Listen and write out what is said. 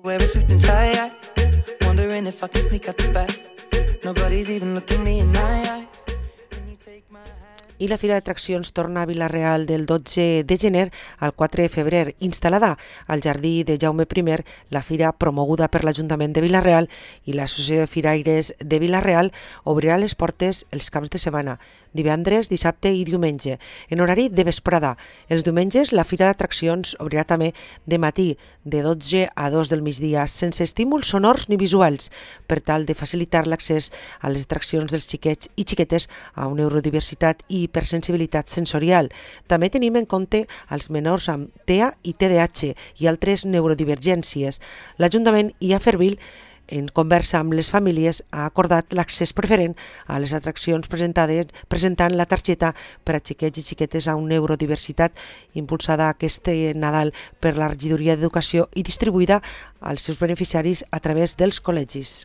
Wear a suit and tie, wondering if I can sneak out the back. Nobody's even looking me in my eyes. I la Fira d'Atraccions torna a Vila-real del 12 de gener al 4 de febrer. Instal·lada al Jardí de Jaume I, la fira promoguda per l'Ajuntament de Vila-real i l'Associació de Firaires de Vila-real obrirà les portes els caps de setmana, divendres, dissabte i diumenge, en horari de vesprada. Els diumenges la Fira d'Atraccions obrirà també de matí, de 12 a 2 del migdia, sense estímuls sonors ni visuals, per tal de facilitar l'accés a les atraccions dels xiquets i xiquetes a una neurodiversitat i hipersensibilitat sensorial. També tenim en compte els menors amb TEA i TDAH i altres neurodivergències. L'Ajuntament i Afervil, en conversa amb les famílies, ha acordat l'accés preferent a les atraccions presentant la targeta per a xiquets i xiquetes amb neurodiversitat, impulsada aquest Nadal per la Regidoria d'Educació i distribuïda als seus beneficiaris a través dels col·legis.